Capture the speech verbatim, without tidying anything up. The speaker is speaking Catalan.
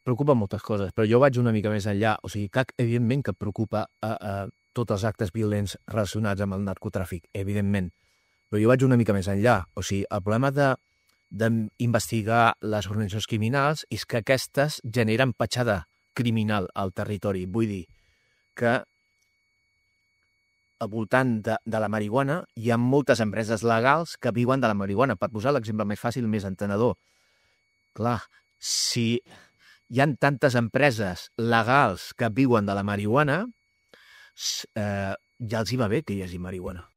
preocupa moltes coses, però jo vaig una mica més enllà. O sigui, que evidentment que preocupa a, a tots els actes violents relacionats amb el narcotràfic, evidentment. Però jo vaig una mica més enllà. O sigui, el problema de d'investigar les organitzacions criminals és que aquestes generen petjada criminal al territori. Vull dir que al voltant de, de la marihuana hi ha moltes empreses legals que viuen de la marihuana. Per posar l'exemple més fàcil, més entenedor. Clar, si hi ha tantes empreses legals que viuen de la marihuana, eh, ja els hi va bé que hi hagi marihuana.